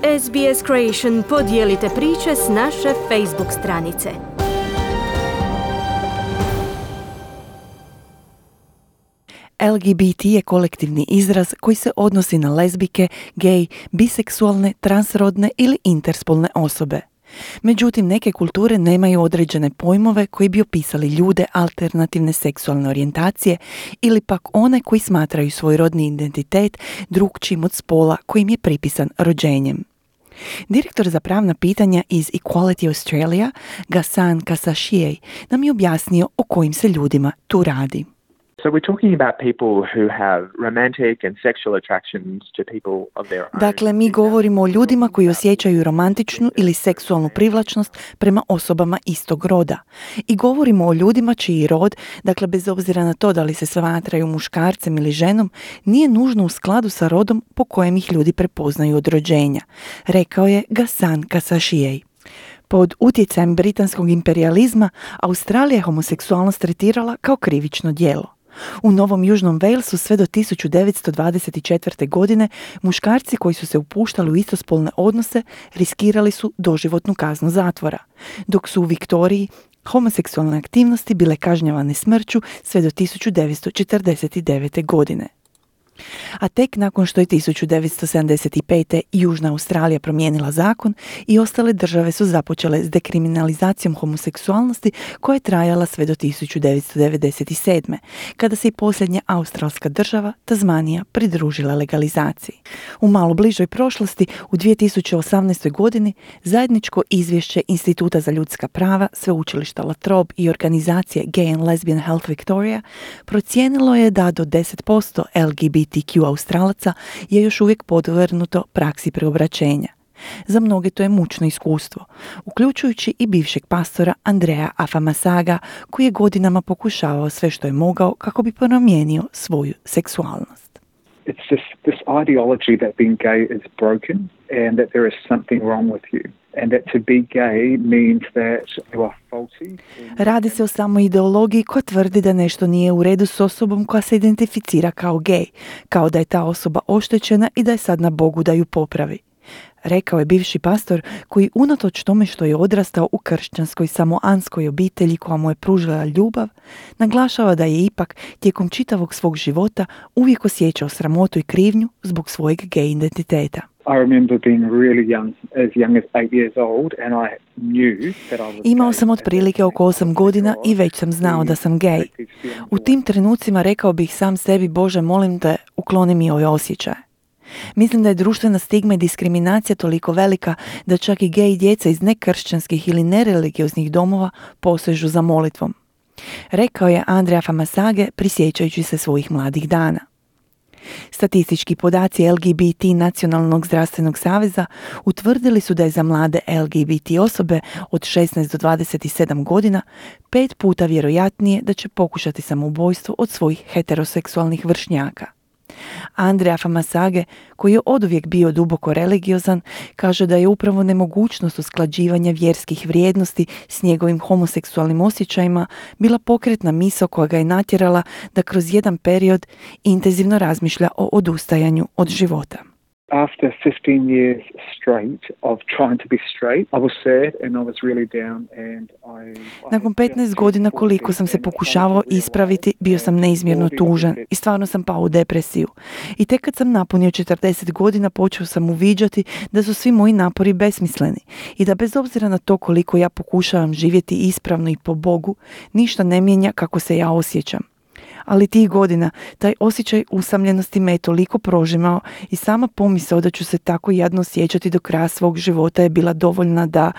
SBS Creation podijelite priče s naše Facebook stranice. LGBT je kolektivni izraz koji se odnosi na lezbijke, gej, biseksualne, transrodne ili interspolne osobe. Međutim, neke kulture nemaju određene pojmove koji bi opisali ljude alternativne seksualne orijentacije ili pak one koji smatraju svoj rodni identitet drukčijim od spola kojim je pripisan rođenjem. Direktor za pravna pitanja iz Equality Australia, Ghassan Kasashiej, nam je objasnio o kojim se ljudima tu radi. So we're talking about people who have romantic and sexual attractions to people of their own. Dakle, mi govorimo o ljudima koji osjećaju romantičnu ili seksualnu privlačnost prema osobama istog roda. I govorimo o ljudima čiji rod, dakle bez obzira na to da li se smatraju muškarcem ili ženom, nije nužno u skladu sa rodom po kojem ih ljudi prepoznaju od rođenja, rekao je Ghassan Kasashiej. Pod utjecajem britanskog imperijalizma, Australija je homoseksualnost tretirala kao krivično djelo. U Novom Južnom Walesu sve do 1924. godine muškarci koji su se upuštali u istospolne odnose riskirali su doživotnu kaznu zatvora, dok su u Viktoriji homoseksualne aktivnosti bile kažnjavane smrću sve do 1949. godine. A tek nakon što je 1975. Južna Australija promijenila zakon i ostale države su započele s dekriminalizacijom homoseksualnosti koja je trajala sve do 1997. kada se i posljednja australska država, Tasmanija, pridružila legalizaciji. U malo bližoj prošlosti, u 2018. godini, zajedničko izvješće Instituta za ljudska prava, Sveučilišta La Trobe i organizacije Gay and Lesbian Health Victoria procijenilo je da do 10% LGBTQ Australaca je još uvijek podvrgnuto praksi preobraćenja. Za mnoge to je mučno iskustvo, uključujući i bivšeg pastora Andreja Afamasaga, koji je godinama pokušavao sve što je mogao kako bi promijenio svoju seksualnost. It's just this ideology that being gay is broken and that there is something wrong with you. And that to be gay means that you are faulty. Radi se o samoj ideologiji koja tvrdi da nešto nije u redu s osobom koja se identificira kao gej, kao da je ta osoba oštećena i da je sad na Bogu da ju popravi. Rekao je bivši pastor koji unatoč tome što je odrastao u kršćanskoj samoanskoj obitelji koja mu je pružila ljubav, naglašava da je ipak tijekom čitavog svog života uvijek osjećao sramotu i krivnju zbog svojeg gej identiteta. I remember being really young as 8 years old, and I knew that I was Imao sam otprilike oko 8 godina i već sam znao da sam gej. U tim trenucima rekao bih sam sebi, Bože, molim te, ukloni mi ove osjećaje. Mislim da je društvena stigma i diskriminacija toliko velika da čak i gej djeca iz nekršćanskih ili nereligioznih domova posežu za molitvom. Rekao je Andreja Famasage prisjećajući se svojih mladih dana. Statistički podaci LGBT Nacionalnog zdravstvenog saveza utvrdili su da je za mlade LGBT osobe od 16 do 27 godina 5 puta vjerojatnije da će pokušati samoubojstvo od svojih heteroseksualnih vršnjaka. Andreja Famasage, koji je oduvijek bio duboko religiozan, kaže da je upravo nemogućnost usklađivanja vjerskih vrijednosti s njegovim homoseksualnim osjećajima bila pokretna misao koja ga je natjerala da kroz jedan period intenzivno razmišlja o odustajanju od života. After 15 years straight of trying to be straight, I was sad and I was really down and Nakon 15 godina koliko sam se pokušavao ispraviti, bio sam neizmjerno tužan i stvarno sam pao u depresiju. I tek kad sam napunio 40 godina počeo sam uviđati da su svi moji napori besmisleni i da bez obzira na to koliko ja pokušavam živjeti ispravno i po Bogu, ništa ne mijenja kako se ja osjećam. Ali tih godina, taj osjećaj usamljenosti me je toliko prožimao i sama pomisao da ću se tako jadno osjećati do kraja svog života je bila dovoljna da,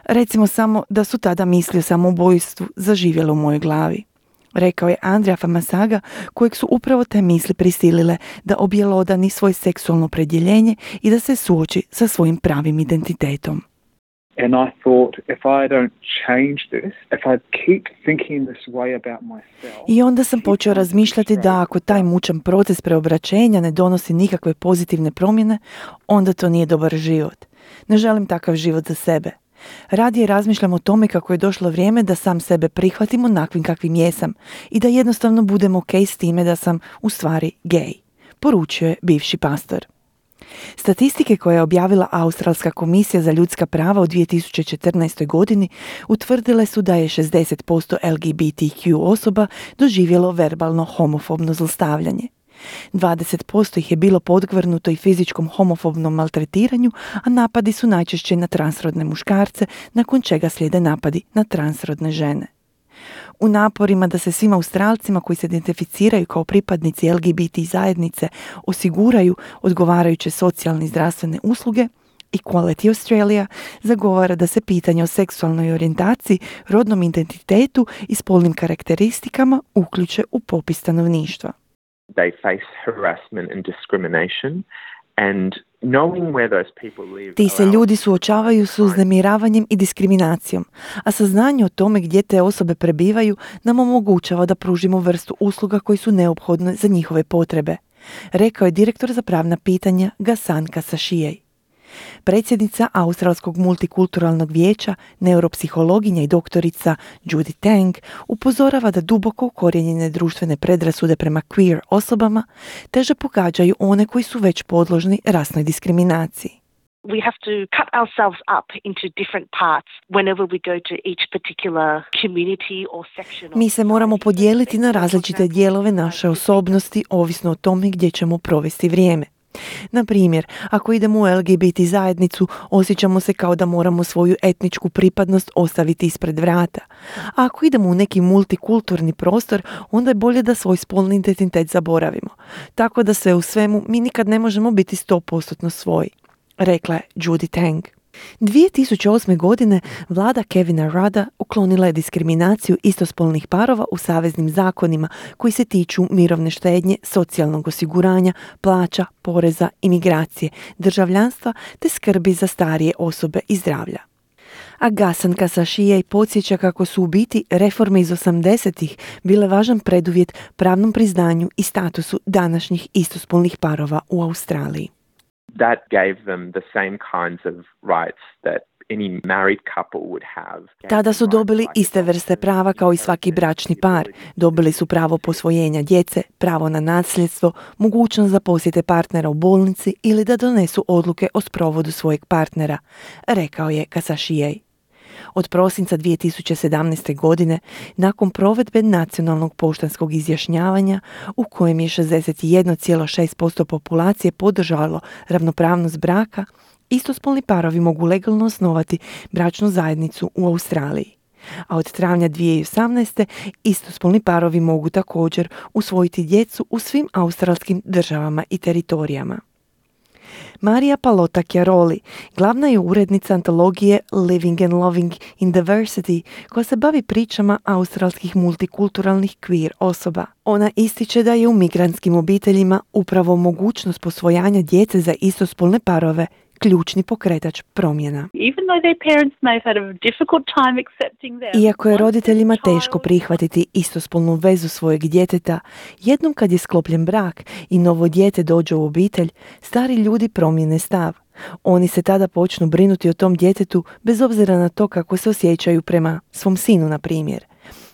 recimo samo da su tada misli o samoubojstvu zaživjele u mojoj glavi. Rekao je Andreja Famasaga, kojeg su upravo te misli prisilile da objelodani svoje seksualno opredjeljenje i da se suoči sa svojim pravim identitetom. And I thought, if I don't change this, if I keep thinking this way about myself... I onda sam počeo razmišljati da ako taj mučan proces preobraćenja ne donosi nikakve pozitivne promjene, onda to nije dobar život. Ne želim takav život za sebe. Radije razmišljam o tome kako je došlo vrijeme da sam sebe prihvatim onakvim kakvim jesam i da jednostavno budem ok s time da sam u stvari gej, poručio je bivši pastor. Statistike koje je objavila Australska komisija za ljudska prava u 2014. godini utvrdile su da je 60% LGBTQ osoba doživjelo verbalno homofobno zlostavljanje. 20% ih je bilo podvrgnuto i fizičkom homofobnom maltretiranju, a napadi su najčešće na transrodne muškarce, nakon čega slijede napadi na transrodne žene. U naporima da se svim Australcima koji se identificiraju kao pripadnici LGBT zajednice osiguraju odgovarajuće socijalne i zdravstvene usluge, Equality Australia zagovara da se pitanje o seksualnoj orijentaciji, rodnom identitetu i spolnim karakteristikama uključe u popis stanovništva. They face harassment and discrimination, and knowing where those people live. Ti se ljudi suočavaju s uznemiravanjem i diskriminacijom, a saznanje o tome gdje te osobe prebivaju nam omogućava da pružimo vrstu usluga koji su neophodne za njihove potrebe, rekao je direktor za pravna pitanja Ghassan Kasashijej. Predsjednica Australskog multikulturalnog vijeća, neuropsihologinja i doktorica Judy Tang upozorava da duboko ukorijenjene društvene predrasude prema queer osobama teže pogađaju one koji su već podložni rasnoj diskriminaciji. We have to cut ourselves up into different parts whenever we go to each particular community or section. Mi se moramo podijeliti na različite dijelove naše osobnosti, ovisno o tome gdje ćemo provesti vrijeme. Na primjer, ako idemo u LGBT zajednicu, osjećamo se kao da moramo svoju etničku pripadnost ostaviti ispred vrata. A ako idemo u neki multikulturni prostor, onda je bolje da svoj spolni identitet zaboravimo. Tako da sve u svemu mi nikad ne možemo biti 100% svoji, rekla je Judy Tang. 2008. godine vlada Kevina Rudda uklonila je diskriminaciju istospolnih parova u saveznim zakonima koji se tiču mirovne štednje, socijalnog osiguranja, plaća, poreza, imigracije, državljanstva te skrbi za starije osobe i zdravlja. A Ghassan Kasashijej podsjeća kako su u biti reforme iz 80-ih bile važan preduvjet pravnom priznanju i statusu današnjih istospolnih parova u Australiji. That gave them the same kinds of rights that any married couple would have. Tada su dobili iste vrste prava kao i svaki bračni par. Dobili su pravo posvojenja djece, pravo na nasljedstvo, mogućnost da posjete partnera u bolnici ili da donesu odluke o sprovodu svojeg partnera, rekao je Kasashijej. Od prosinca 2017. godine, nakon provedbe nacionalnog poštanskog izjašnjavanja, u kojem je 61,6% populacije podržalo ravnopravnost braka, istospolni parovi mogu legalno osnovati bračnu zajednicu u Australiji. A od travnja 2018. istospolni parovi mogu također usvojiti djecu u svim australskim državama i teritorijama. Maria Palota Chiaroli glavna je urednica antologije Living and Loving in Diversity, koja se bavi pričama australskih multikulturalnih queer osoba. Ona ističe da je u migrantskim obiteljima upravo mogućnost posvojanja djece za istospolne parove ključni pokretač promjena. Iako je roditeljima teško prihvatiti istospolnu vezu svojeg djeteta, jednom kad je sklopljen brak i novo dijete dođe u obitelj, stari ljudi promijene stav. Oni se tada počnu brinuti o tom djetetu bez obzira na to kako se osjećaju prema svom sinu, na primjer.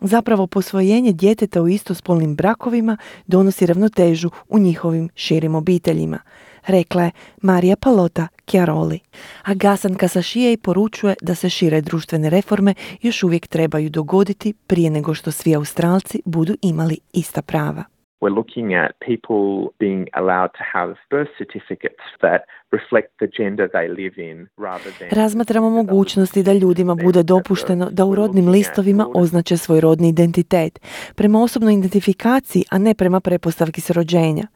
Zapravo, posvojenje djeteta u istospolnim brakovima donosi ravnotežu u njihovim širim obiteljima, rekla je Maria Palota Chiaroli. A Ghassan Kasashijej poručuje da se šire društvene reforme još uvijek trebaju dogoditi prije nego što svi Australci budu imali ista prava. We're looking at people being allowed to have birth certificates that reflect the gender they live in rather than... Razmatramo mogućnosti da ljudima bude dopušteno da u rodnim listovima označe svoj rodni identitet, prema osobnoj identifikaciji, a ne prema pretpostavki s rođenja.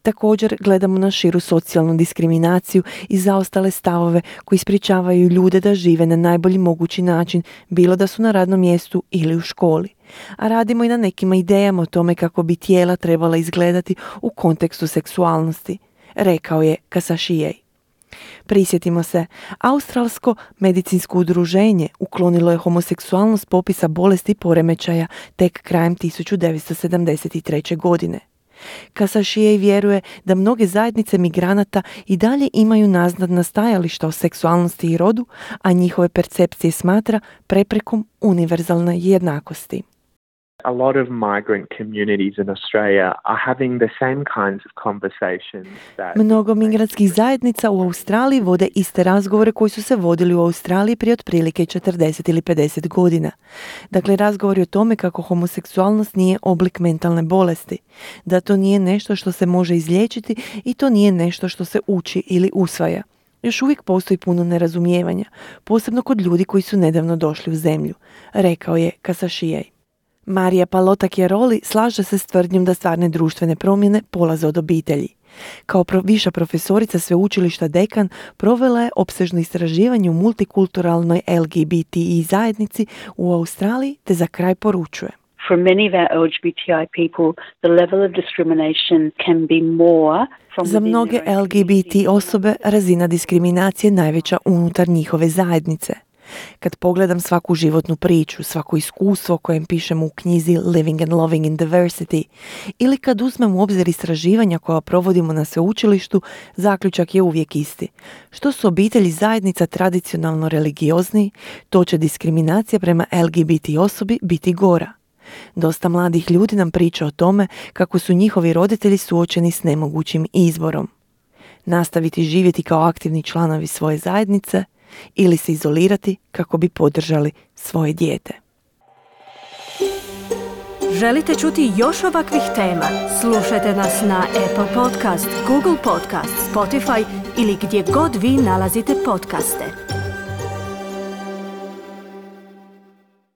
Također gledamo na širu socijalnu diskriminaciju i zaostale stavove koji sprječavaju ljude da žive na najbolji mogući način, bilo da su na radnom mjestu ili u školi. A radimo i na nekim idejama o tome kako bi tijela trebala izgledati u kontekstu seksualnosti, rekao je Kasashijej. Prisjetimo se, Australsko medicinsko udruženje uklonilo je homoseksualnost s popisa bolesti i poremećaja tek krajem 1973. godine. Kasashijej vjeruje da mnoge zajednice migranata i dalje imaju naznadna stajališta o seksualnosti i rodu, a njihove percepcije smatra preprekom univerzalne jednakosti. A lot of migrant communities in Australia are having the same kinds of conversations that... Mnogo migratskih zajednica u Australiji vode iste razgovore koji su se vodili u Australiji prije otprilike 40 ili 50 godina. Dakle, razgovori o tome kako homoseksualnost nije oblik mentalne bolesti, da to nije nešto što se može izliječiti i to nije nešto što se uči ili usvaja. Još uvijek postoji puno nerazumijevanja, posebno kod ljudi koji su nedavno došli u zemlju, rekao je Kasashijaj. Marija Palota-Chiaroli slaže se s tvrdnjom da stvarne društvene promjene polaze od obitelji. Kao viša profesorica sveučilišta Dekan provela je opsežno istraživanje u multikulturalnoj LGBTI zajednici u Australiji te za kraj poručuje. For many of our LGBTI people, the level of discrimination can be more from Za mnoge LGBT osobe razina diskriminacije je najveća unutar njihove zajednice. Kad pogledam svaku životnu priču, svako iskustvo kojem pišemo u knjizi Living and Loving in Diversity ili kad uzmem u obzir istraživanja koja provodimo na sveučilištu, zaključak je uvijek isti. Što su obitelji zajednica tradicionalno religiozniji, to će diskriminacija prema LGBT osobi biti gora. Dosta mladih ljudi nam priča o tome kako su njihovi roditelji suočeni s nemogućim izborom. Nastaviti živjeti kao aktivni članovi svoje zajednice ili se izolirati kako bi podržali svoje dijete. Želite čuti još ovakvih tema? Slušajte nas na Apple Podcast, Google Podcast, Spotify ili gdje god vi nalazite podcaste.